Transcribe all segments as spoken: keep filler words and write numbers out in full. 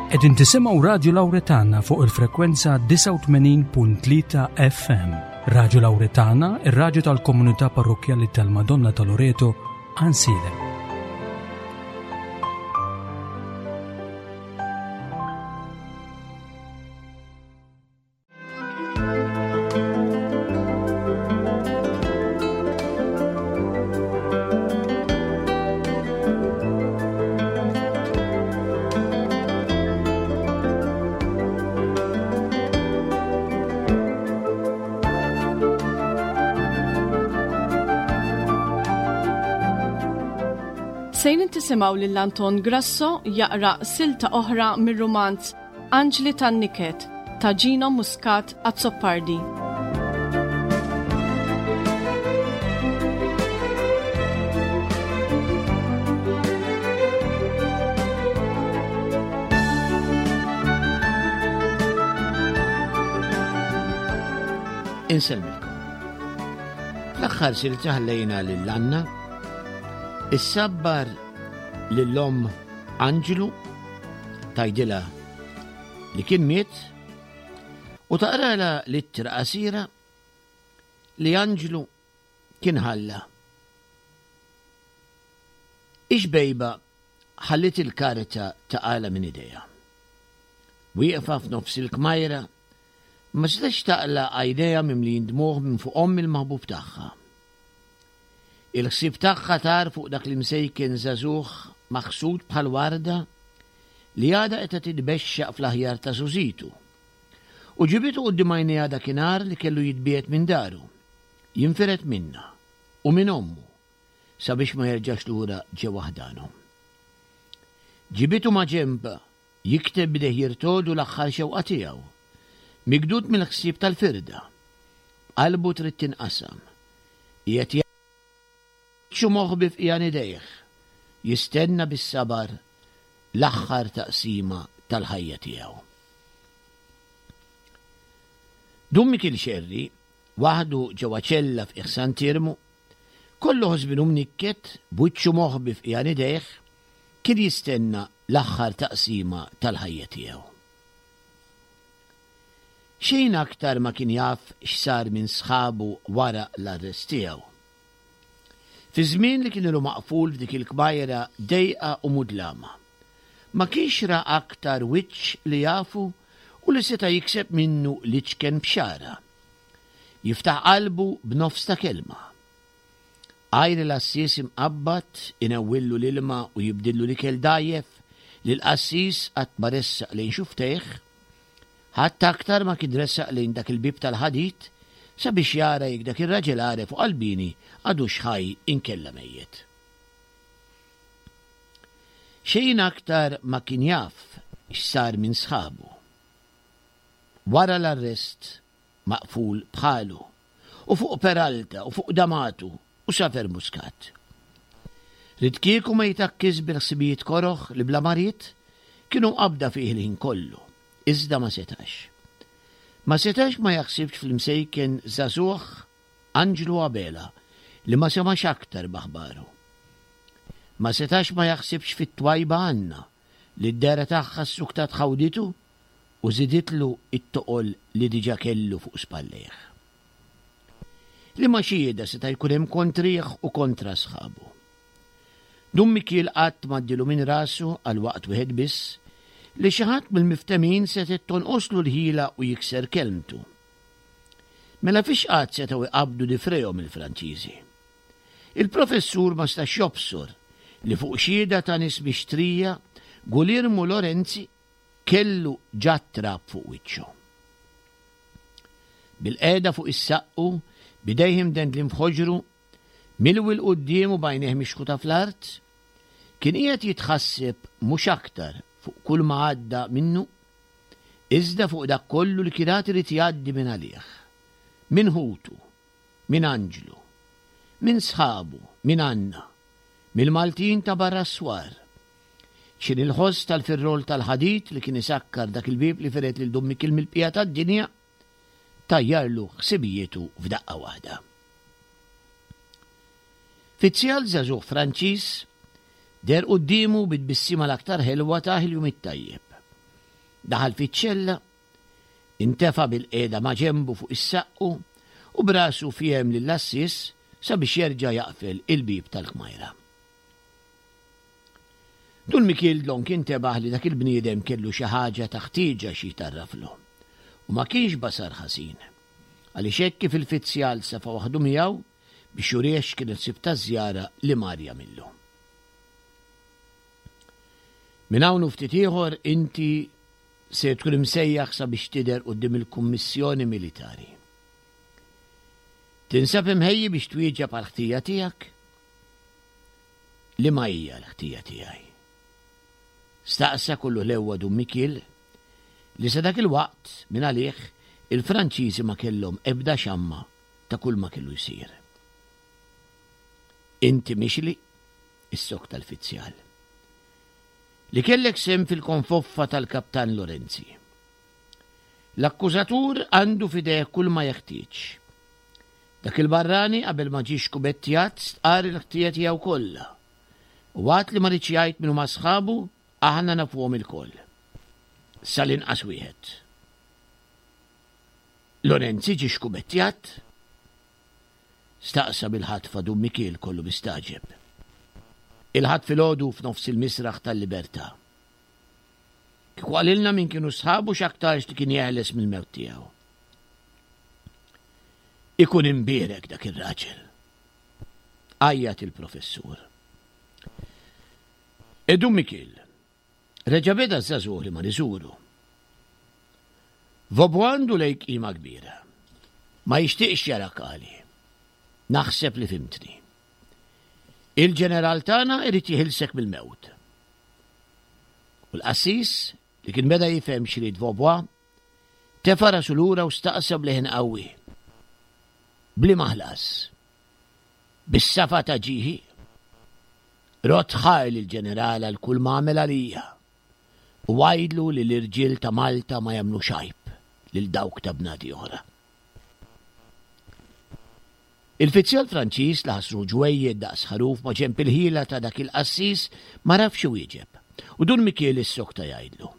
Qegħdin tisimgħu Radju Lawretana fuq il-frekwenza disgħa u tmenin punt tlieta F M. Radju Lawretana, ir-radju tal-komunità parrokkjali tal-Madonna ta' Loreto, Għajnsielem. Sejrin tisimgħu lil Anton Grasso jaqra silta oħra mir-rumanz Anġli tan-Niket ta' Gino Muscat Azzopardi. Insellmilkom. Fl-aħħar silta ħallejna lil Anna issabbar lill-omm Anġlu tajdilha li kien miet u taqralha l-ittra qasira li Anġlu kien ħalla. Ix-bejba ħallit il-karta taqala minn idejha. Wieqfa f'nofs il-kmajra ma setax taqla għajnejha mimlijin dmugħ minn fuq omm il-maħbub tagħha. Il-ħsieb tagħha tar fuq dak li msejken żagħżugħ maħsud bħal warda li għadha qed titbexxaq fl-aħjar ta' żużitu. U ġibitu quddiem għajnejha dakinhar li kellu jitbiegħed minn daru, jinfired minnha u minn ommu sabiex ma jerġax lura ġewwa ħdanhom. Ġibitu ma' ġenba jikteb b'idejh jirtodu l-aħħar xewqa tiegħu, migdud mill-ħsieb tal-firda. Qalbu trid tinqasam. Qiegħed jgħixu moħbi f'qiegħan idejh, jistenna bis-sabar l-aħħar taqsima tal-ħajja tiegħu. Dun Mikiel Xerri, waħdu ġewwa ċella f'qiegħ Sant'Iermu, kollu ħosbinu mnikket, b'wiċċu moħbi f'qiegħan idejh, kien jistenna l-aħħar taqsima tal-ħajja tiegħu. Xejn aktar ma kien jaf x'sar minn sħabu wara l-arrest tiegħu. Fi żmien li kien ilu maqful f'dik il-kmajra dejqa u mudlama, ma kienx ra aktar wiċċ li jafu u li seta' jikseb minnu l-iċken bxara. Jiftaħ qalbu b'nofs ta' kelma. Għajr l-assis imqabbad inewwillu l-ilma u jibdillu l-ikel dajjef li l-qassis qatt ma ressaq lejn xuftejh, ħadd aktar ma kien ressaq lejn dak il-bib tal-ħadid sabiex jara jekk dak ir-raġel għaref u qalbini għadux ħaj inkella mejjet. Xejn aktar ma kien jaf x'sar minn sħabu. Wara l-arrest maqful bħalu u fuq Peralta u fuq Damatu u Safer Muscat. Rid kieku ma jitakkiż bil-ħsibijiet koroħ li bla marid kienu mqabbda fih il-ħin kollu, iżda ma setax. Ma setax ma jaħsibx fl-imsejken żagħżugħ Anġlu Abela li ma semax aktar b'aħbaru. Ma setax ma jaħsibx fit-twajba Anna li d-dera tagħha s-suktat ħawditu u żiditlu it-toqol li diġà kellu fuq spallejh. Li ma xieda seta' jkun hemm kontrih u kontra sħabu. Dun Mikiel qatt m'għaddilu minn rasu għal waqt wieħed biss li xi ħadd mill-miftemin setgħet tonqoslu l-ħila u jikser kelmtu. Mela fiex qatt setgħu jqabdu difrejhom il-Franċiżi. Il-professur ma stax jobsor li fuq xhieda ta' nies mixtrija Guglielmo Lorenzi kellu ġa trab fuq wiċċu. Bil-qeda fuq is-saqqu, bidejh imdendlin f'ħoġru, milwi l quddiem u b'għajnejh mixħuta fl-art, kien qiegħed jitħasseb mhux aktar fuq kull ma għadda minnu, iżda fuq dak kollu li kien għad irid jgħaddi minn għalih, minn ħutu, minn Anġlu, minn sħabu, minn Anna, mill-Maltin ta' barra s-swar. X'in il-ħoss tal-firrol tal-ħadid li kien isakkar dak il-bieb li feret lil Dun Mikiel mill-bqija tad-dinja, tajjarlu ħsibijietu f'daqqa waħda. Fizzjal żagħżugħ Franċiż deher quddiemu bit-tbissima l-aktar ħelwa ta' il-jum it-tajjeb. Daħal fiċ-ċella, intefa' bilqiegħda ma' ġenbu fuq is-saqqu u brasu fiehem lill-għassies sabiex jerġa' jaqfel il-bieb tal-kmajra. Dun Mikiel dlonk intebaħ li dak il-bniedem kellu xi ħaġa ta' ħtieġa xi jtarraflu u ma kienx basar ħażin, għaliex hekk kif il-fizzjal safa waħdu miegħu biex jurih x'kienet sib taż-żjara li mar jagħmillu. Minn hawn u ftit ieħor inti se tkun imsejjaħ sabiex tidher quddiem il-Kummissjoni Militari. Tinsab imħejji biex twieġeb għall-ħtija tiegħek? Liema hija l-ħtija tiegħi? Staqsa kollu ħlewwa Dun Mikiel, li sa dak il-waqt minn għalih il-Franċiżi ma kellhom ebda xamma ta' kull ma kellu jsir. Inti mixli, issokta l-fizzjal, li kellek sehem fil-konfoffa tal-Kaptan Lorenzi. L-akkużatur għandu f'idejh kull ma jeħtieġ. Dak il-barrani qabel ma ġie xkubettjat stqarr il-ħtija tiegħu kollha. U għad li ma riedx jgħid min huma sħabu, aħna nafuhom ilkoll. Sal-inqas wieħed. Lorenzi ġie xkubettjat? Staqsa bil-ħatfa Dun Mikiel kollu mistagħġeb. Il-Ħadd filgħodu f'nofs il-misraħ tal-Libertà. Kieku qalilna min kienu sħabu x'aktarx li kien jeħles mill-mewt tiegħu. Ikun imbierek dak ir-raġel. Għajjat il-professur. E Dun Mikiel, reġa' beda ż-żagħżugħ li mar iżuru. Vaubois għandu lejk qima kbira. Ma jixtieqx jarak għali. Naħseb li fimtni. Il-ġeneral tagħna irid jiħilsek mill-mewt. U l-qassis, li kien beda jifhem x'ried Vaubois, tefa' rasu lura u staqsa b'leħen qawwi. B'liema ħlas? Bis-safa ta' ġieħi? Rodd ħajr lill-ġeneral għal kull ma għamel għalija u għidlu li l-irġiel ta' Malta ma jagħmlux għajb lil dawk ta' bnadi oħra. Il-fizzjal Franċiż li ħass ruħu ġwejjed daqs ħaruf ma' ġenb il-ħila ta' dak il-qassis ma rafx iwieġeb u Dun Mikiel issokta jgħidlu.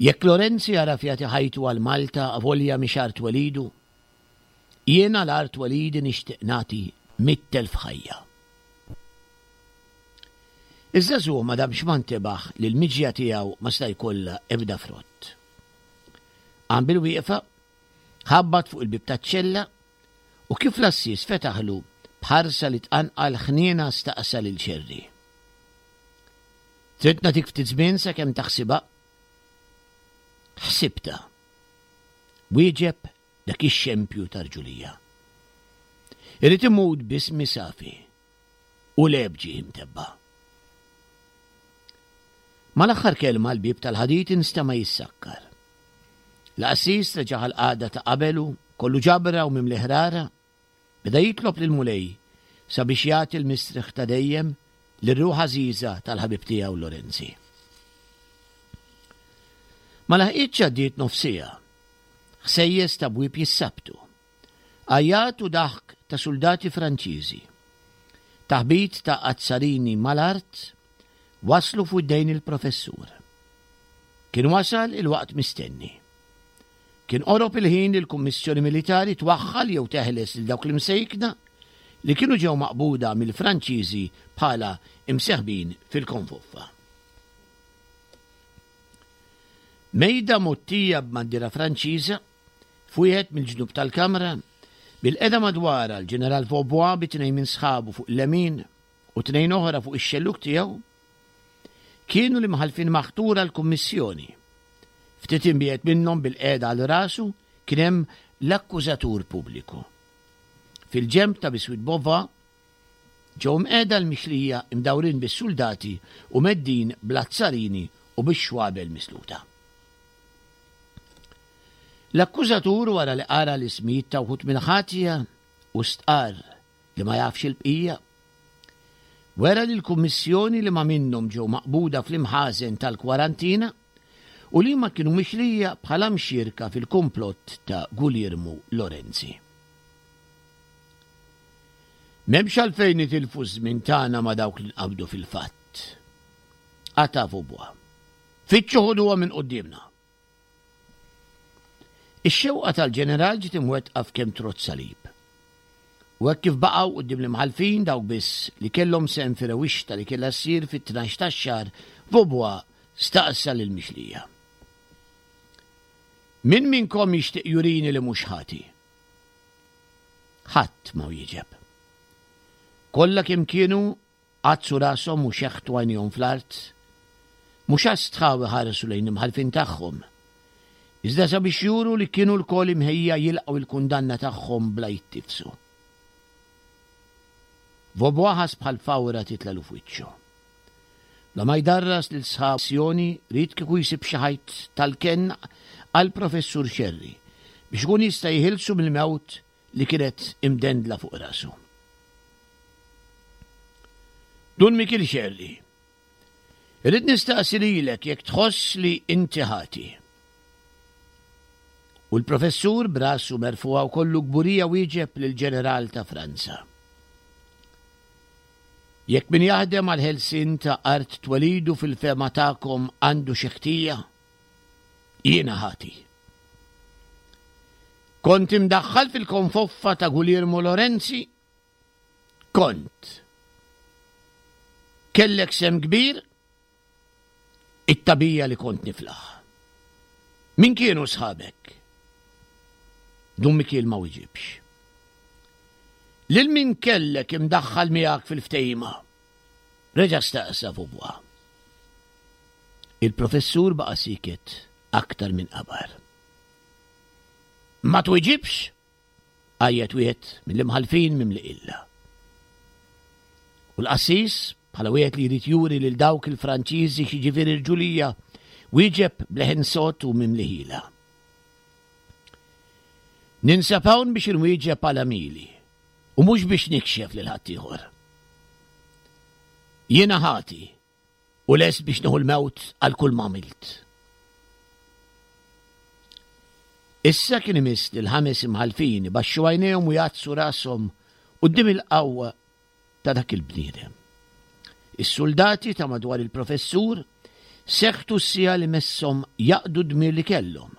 Jekk Lorenzi għaraf jagħti ħajtu għal Malta avolja mhix art twelidu, jien għal art twelidi nixtieq nagħti mitt elf ħajja. Iż-żagħżugħ ma damx ma ntebaħ li l-miġja tiegħu ma sta jkollha ebda frott. Qam bil-wieqfa, ħabbat fuq il-bieb taċ-ċella u kif l-għassies fetaħlu b'ħarsa li tqanqal ħniena staqsa lil Xerri. Trid nagħtik ftit żmien sakemm taħsibha? Ħsibtha. Wieġeb dak ix-xempju ta' rġulija. Irrid imut b'ismi safi u le b'ġieħi mtebba'. Mal-aħħar kelma l-bieb tal-ħadid instema' jissakkar. L-qassis reġa' ħal-qagħda ta' qabelu, kollu ġabra u mimli ħrara, beda jitlob lill-Mulej sabiex jagħti l-mistrieħ ta' dejjem lir-ruħ għażiża tal-ħabib tiegħu Lorenzi. Ma laħqitx għaddiet nofs siegħa. Ħsejjes ta' bwieb jissabtu. Għajjat u daħk ta' suldati Franċiżi. Taħbit ta' azzarini mal-art waslu f'widdejn il-professur. Kien wasal il-waqt mistenni. Kien qorob il-ħin li l-Kummissjoni Militari twaħħal jew teħles lil dawk l-imsejkna li kienu ġew maqbuda mill-Franċiżi bħala imseħbin fil-konfoffa. Mejda mgħottija b'bandiera Franċiża f'wieħed mill-ġnub tal-kamra, bil-qeda madwarha l-Ġeneral Vaubois bi tnejn minn sħabu fuq il-lemin u tnejn oħra fuq ix-xellug tiegħu, kienu l-imħallfin maħtura l-Kummissjoni. Ftit imbiegħed minnhom bil-qeda għal rasu kien hemm l-akkużatur pubbliku. Fil-ġenb ta' biswit Beauvais ġew mqiegħda l-mixlija imdawrin bis-suldati u meddin bl-azzarini u bix-xwabel misluta. L-akkużatur wara li qara l-ismijiet ta' wħud mill-ħatja u stqarr li ma jafx il-bqija, wera lill-Kummissjoni li ma minnhom ġew maqbuda fl-imħażen tal-kwarantina u li ma kienu mixlija bħala mxierka fil-kumplott ta' Guglielmo Lorenzi. M'hemmx għalfejn nitilfu ż-żmien tagħna ma' dawk li nqabdu fil-fatt. Qata' Vaubois. Fittxu ħuduha minn quddiemna. Ix-xewqa tal-ġeneral ġiet imwettqa f'kemm trodd salib. U hekk kif baqgħu quddiem l-imħallfin dawk biss li kellhom sehem fir-rewwixta li kellha ssir fit-tnax tax-xahar, Vaubois staqsa lill-mixlija. Min minnkom jixtieq jurini li mhux ħati? Ħadd ma wieġeb. Kollha kemm kienu għaddsu rashom u xeħtu għajnejhom fl-art, mhux għax stħaw iħarsu lejn l-imħallfin tagħhom, iżda sabiex juru li kienu lkoll imħejja jilqgħu l-kundanna tagħhom bla jittifsu. Vaubois ħass bħal fawra titlalu f'wiċċu. Bla ma jdarras lil sħab sjoni ried kieku jsib xi ħajt tal-kenn għall-Professur Xerri biex ikun jista' jeħilsu mill-mewt li kienet imdendla fuq rasu. Dun Mikiel Xerri, irrid nistaqsi lilek jekk tħoss li inti ħati. U l-professur b'rasu merfugħa u kollu kburija wieġeb lill-ġeneral ta' Franza. Jekk min jaħdem għal ħelsien ta' art twelidu fil-fehma tagħkom għandu xi ħtija, jiena ħati. Kont imdaħħal fil-konfoffa ta' Guglielmo Lorenzi? Kont. Kellek sehem kbir? It-tagħbija li kont niflaħ. Min kienu sħabek? Dun Mikiel ma wieġibx. Lil min kellek imdaħħal miegħek fil-ftehima? Reġa' staqsa Vaubois. Il-professur baqa' siket aktar minn qabar. Ma twiġibx? Għajjet wieħed mill-imħallfin mimli illa. U l-qassis, bħala wieħed li jrid juri lil dawk il-Franċiżi x'jiġifieri rġulija, wieġeb b'leħen sod u mimli ħila. Ninsab hawn biex inwieġeb għal għamili u mhux biex nikxef lil ħaddieħor. Jiena ħati u lest biex nieħu l-mewt għal kull ma għamilt. Issa kien imiss lil ħames imħallfin ibaxxu għajnejhom u jgħaddsu rashom quddiem il-qawwa ta' dak il-bniedem. Is-soldati ta' madwar il-professur seħtu s-sija li messhom jaqdu d-dmir li kellhom.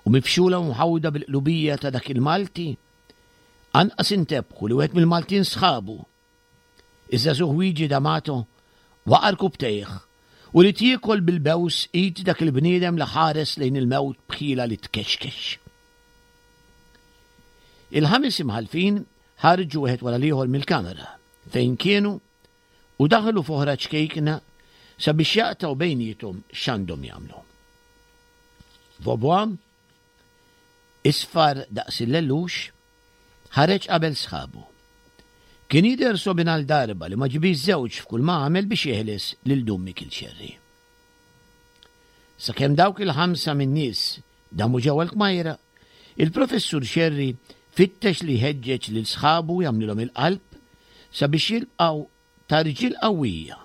U mifxula u mħawda bil-qlubija ta' dak il-Malti, anqas intebħu li wieħed mill-Maltin sħabu. Iż-żagħżugħ Luigi D'Amato waqa' rkubtejh u li tiekol bil-bews id dak il-bniedem li ħares lejn il-mewt bħila li tkexkex. Il-ħames imħallfin ħarġu wieħed wara l-ieħor mill-kamera fejn kienu u daħlu f'oħra ċkejkna sabiex jaqtgħu bejniethom x'għandhom jagħmlu. Vaubois, isfar daqs il-lellux, ħareġ qabel sħabu. Kien jidher sobin għal darba li ma ġibix żewġ f'kull ma għamel biex jeħles lil Dun Mikiel Xerri. Sakemm dawk il-ħamsa min-nies damu ġewwa l-kmajra, il-professur Xerri fittex li jħeġġeġ lil sħabu jagħmlilhom il-qalb sabiex jilqgħu ta' rġiel qawwija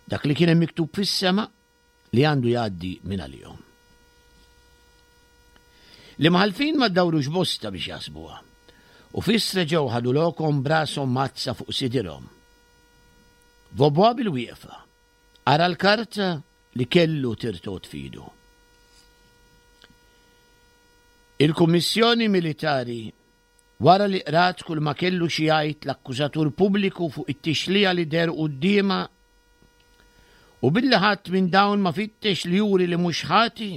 dak li kien hemm miktub fis-sema li għandu jgħaddi minn għalihom. L-imħallfin ma ddawrux bosta biex jaħsbuha u fis reġgħu ħadu lokhom b'rashom mazza fuq sidirhom. Vaubois bil-wieqfa qara l-karta li kellu tirtot f'idu. Il-Kummissjoni Militari wara li qrat kull ma kellu xi jgħid l-akkużatur pubbliku fuq it-tixlija li deher quddiemha u billi ħadd minn dawn ma fittex li juri li mhux ħati,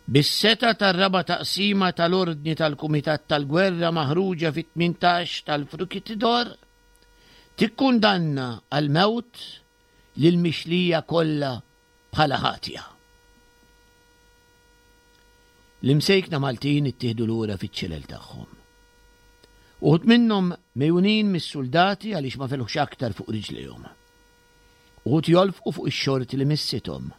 bis-setgħa tar-raba' taqsima tal-ordni tal-Kumitat tal-Gwerra maħruġa fit-tmintax tal-Fructidor, tikkundanna għall-mewt lill-mixlija kollha bħala ħatja. L-imsejkna Maltin ittieħdu lura fiċ-ċelel tagħhom. Uħud minnhom mejjunin mis-soldati għaliex ma felħux aktar fuq riġlejhom. Uħud jolfqu fuq ix-xorti li missithom.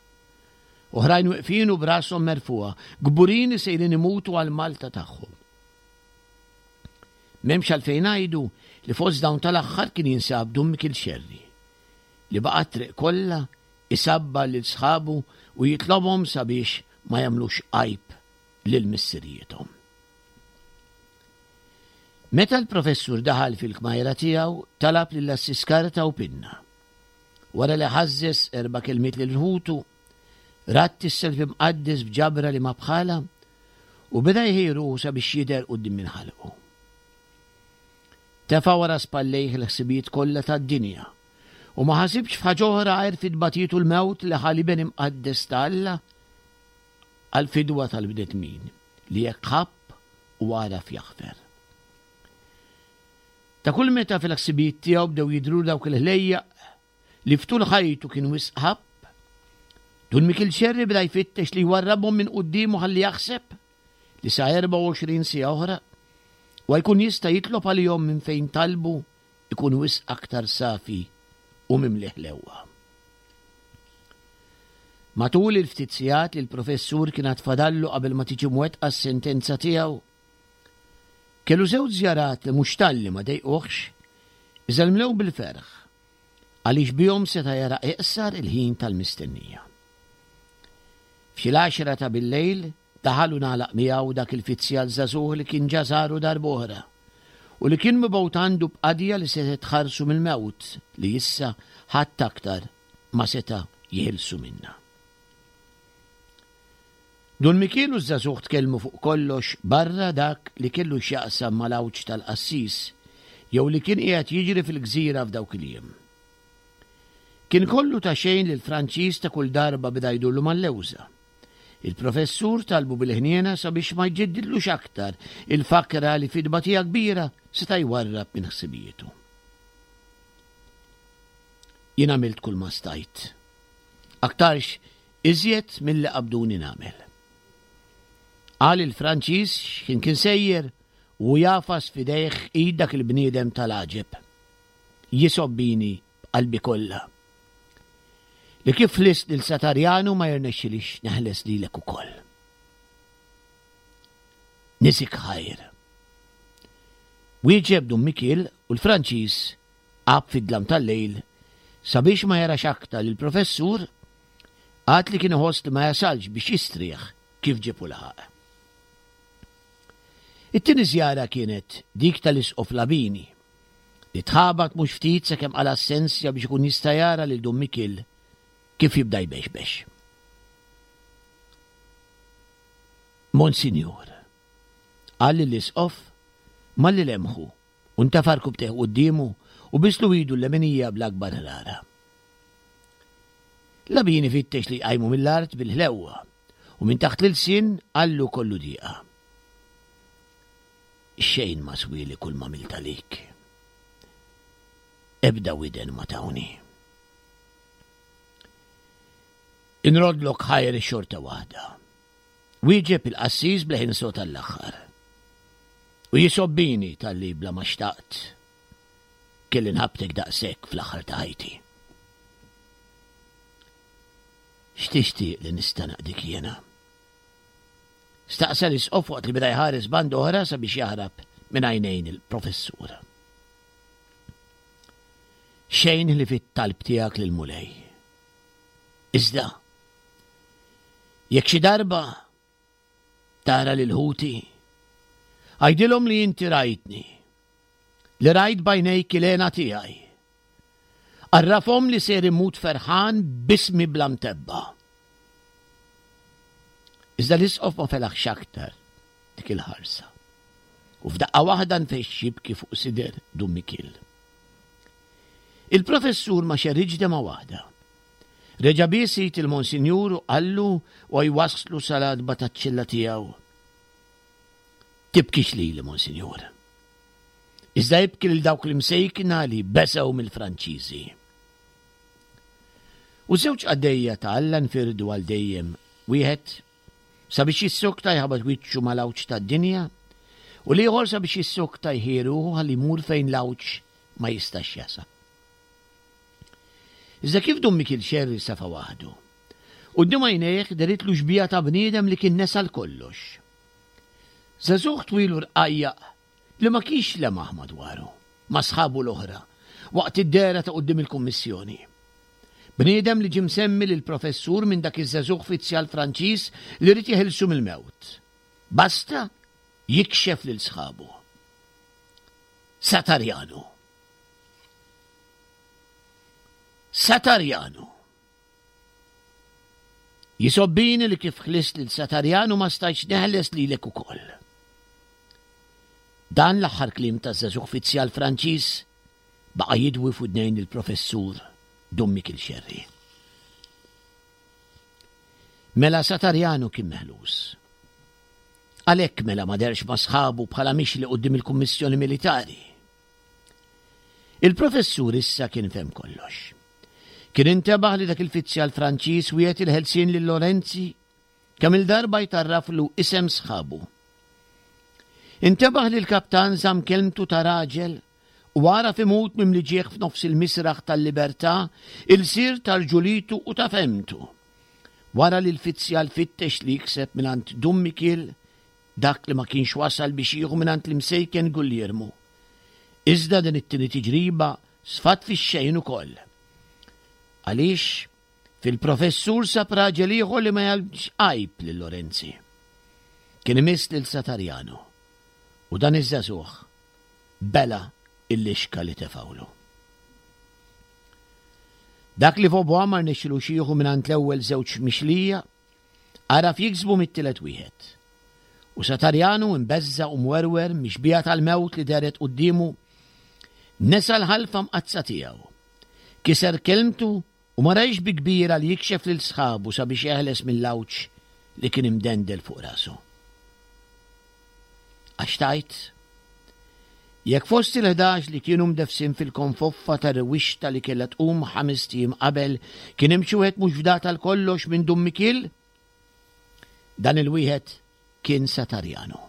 Oħrajn weqfin u b'rashom merfugħa, kburin li sejrin imutu għal Malta tagħhom. M'hemmx għalfejn ngħidu li fost dawn tal-aħħar kien jinsab Dun Mikiel Xerri, li baqa' t-triq kollha isabba lil sħabu u jitlobhom sabiex ma jagħmlux għajb lil missirijiethom. Meta l-professur daħal fil-kmajra tiegħu, talab lil assis karta u pinna. Wara li ħażżeż erba' kelmiet lil ħutu, radd is-self imqaddes b'ġabra li ma bħalha u beda jħejji ruħu sabiex jidher quddiem min ħalqu. Tefa' wara spallejh il-ħsibijiet kollha tad-dinja u ma ħasibx f'ħaġa oħra għajr fit-tbatijiet u l-mewt li ħa l-Iben imqaddes ta' Alla għall-fidwa tal-bnedmin li hekk ħabb u għaraf jaħfer. Ta' kull meta fil-ħsibijiet tiegħu bdew jidhru dawk il-ħlejjaq li ftul ħajtu kien wisq ħabb, Dun Mikiel Xerri beda jfittex li jwarrabhom minn quddiemu ħalli jaħseb li sa erbgħa u għoxrin siegħa oħra huwa jkun jista' jitlob għalihom minn fejn talbu jkun wisq aktar safi u mimli ħlewwa. Matul il-ftit sigħat li l-professur kien għad fadallu qabel ma tiġi mwettqa s-sentenza tiegħu, kellu żewġ żjarat li mhux talli ma dejquhx, iżda mlew bil-ferħ, għaliex bihom seta' jara iqsar il-ħin tal-mistennija. F'xi l-għaxra ta' bil-lejl daħal u ngħalaq miegħu dak il-fizzjal żagħżugħ li kien ġa żaru darb'oħra u li kien mibgħut għandu b'qadja li setgħet tħarsu mill-mewt li issa ħadd aktar ma seta' jeħilsu minnha. Dun Mikiel u ż-żagħżugħ tkellmu fuq kollox barra dak li kellu x'jaqsam mal-għawġ tal-qassis jew li kien qiegħed jiġri fil-gżira f'dawk il-jiem. Kien kollu ta' xejn li l-Franċiż ta' kull darba beda jdurlu mal-lewża. Il-professur talbu bil-ħniena sabiex ma jġeddidlux aktar il-fakra li fi tbatija kbira seta' jwarrab minn ħsibijietu. Jien għamilt kull ma stajt. Aktarx iżjed milli qabduni nagħmel. Qal il-Franċiż x'kien kien sejjer u jagħfas f'idejh id dak il-bniedem tal-għaġeb. Jisobbini b'qalbi kollha. Li kif ħlist lil Satarjanu ma jirnexxilix neħles lilek ukoll. Nisik ħajr. Wieġeb Dun Mikiel u l-Franċiż għab fid-dlam tal-lejl sabiex ma jarax aktar lill-professur għad li kien iħoss li ma jasalx biex jistrieħ kif ġieb u laħaq. It-tieni żjara kienet dik tal-Isqof Labini li tħabat mhux ftit sakemm qala' s-sensja biex ikun jista' jara lil Dun Mikiel kif jibda jbexbex. Monsinjur, qal lill-Isqof malli lemħu u ntefa' rkubtejh quddiemu u bislu idu l-leminija bl-akbar ħrara. Labini fittex li jqajmu mill-art bil-ħlewwa u minn taħt l-ilsien qallu kollu dieqa. Xejn ma swieli kull ma għamilt għalik. Ebda widen ma tawni. Inroddlok ħajr xorta waħda. Wieġeb il-qassis b'leħin sod għall-aħħar. U jisobbini talli bla ma xtaqt kelli nħabbtek daqshekk fl-aħħar ta' ħajti. X'tixtieq li nista' naqdik jiena? Staqsa l-isqof waqt li beda jħares band oħra sabiex jaħrab minn għajnejn il-professur. Xejn li fit-talb tiegħek lill-Mulej. Iżda, jekk xi darba tara lil ħuti, għidilhom li inti rajtni, li rajt b'għajnejk il-hena tiegħi. Għarrafhom li ser immut ferħan b'ismi bla mtebba. Iżda l-isqof ma felaħx aktar dik il-ħarsa. U f'daqqa waħda nfexx jibki fuq sider Dun Mikiel. Il-professur ma xerridx demgħa waħda. Reġa' bies id il-Monsinjur u qallu u jwasslu sal-għatba taċ-ċella tiegħu. Tibkix lili, Monsinjur. Iżda ibki lil dawk l-imsejkna li beżgħu mill-Franċiżi. U żewġ qaddejja ta' Alla nfirdu għal dejjem, wieħed sabiex jissokta jħabat wiċċu mal-għawġ tad-dinja, u l-ieħor sabiex jissokta jħi ruħu ħalli jmur fejn l-għawġ ma jistax jasal. Iżda kif Dun Mikiel Xerri safa waħdu, quddiem għajnejh deritlu xbieha ta' bniedem li kien nesa l-kollox. Żagħżugħ twil u rqajjaq li ma kienx lemaħ madwaru, ma' sħabu l-oħra, waqt id-dehra ta' quddiem il-Kummissjoni. Bniedem li ġie msemmi lill-Professur minn dak iż-żagħżugħ fizzjal Franċiż li ried jeħilsu mill-mewt. Basta jikxef lil sħabu. Satarjanu. Satarjanu! Jisobbini li kif ħlist lil Satarjanu ma stajtx neħles lilek ukoll. Dan l-aħħar kliem taż-żagħżugħ fizzjal Franċiż baqa' jidwi f'widnejn il-professur Dun Mikiel Xerri. Mela Satarjanu kien meħlus. Għalhekk mela ma derx ma' sħabu bħala mixli quddiem il-Kummissjoni Militari. Il-professur issa kien fehem kollox. Kien intebaħ li dak il-fizzjal Franċiż wiegħed il-ħelsien lil Lorenzi kemm il-darba jtarraflu isem sħabu. Intebaħ li l-kaptan żamm kelmtu ta' raġel u għaraf imut mimli ġieħ f'nofs il-misraħ tal-libertà, ilsir tal-ġulitu u ta' femtu. Wara li l-fizzjal fittex li jikseb mingħand Dun Mikiel dak li ma kienx wasal biex jieħu mingħand l-imsejken Gulliermu. Iżda din it-tieni tiġriba sfat fix-xejn ukoll. Għaliex fil-professur sab raġel ieħor li ma jgħalx għajb lil Lorenzi. Kien imiss lil Satarjanu u dan iż-żagħżugħ bela il-lixka li tefawlu. Dak li Vaubois ma rnexxilux jieħu mingħand l-ewwel żewġ mixlija, għaraf jiksbu mit-tielet wieħed. U Satarjanu imbeżża' u mwerwer mix-xbieha tal-mewt li dehret quddiemu, nesa l-ħalfa mqaddsa tiegħu. Kiser kelmtu u ma rajx bi kbira li jikxef lil sħabu sabiex jeħles mill-għawġ li kien imdendel fuq rasu. Għax tgħid, jekk fost il-ħdax li kienu mdeffsin fil-konfoffa ta' rewwixta li kellha tqum ħamest ijiem qabel kien hemm xi wieħed mhux fdat għal kollox minn Dun Mikiel, dan il-wieħed kien Satarjanu.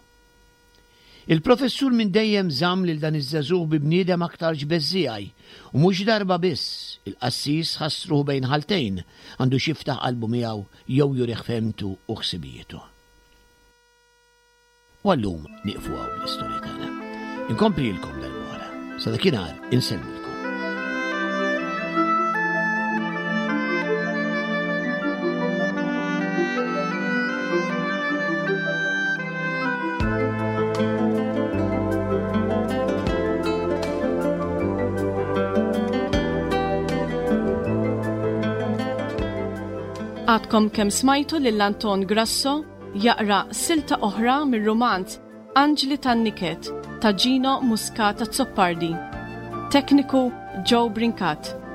Il-professur minn dejjem żamm lil dan iż-żagħżugħ bi bniedem aktarx beżżiegħi, u mhux darba biss il-qassis ħass ruħu bejn ħaltejn, għandux jiftaħ qalbu miegħu jew jurih fehmtu u ħsibijietu. U għallum nieqfu hawn bl-istorja tagħna. Inkomplilkom darb'oħra. Sa dakinhar insellmilkom. Għadkom kemm smajtu lil Anton Grasso jaqra silta oħra mir-rumanz Anġli tan-Niket ta' Gino Muscat Azzopardi. Tekniku Joe Brincat.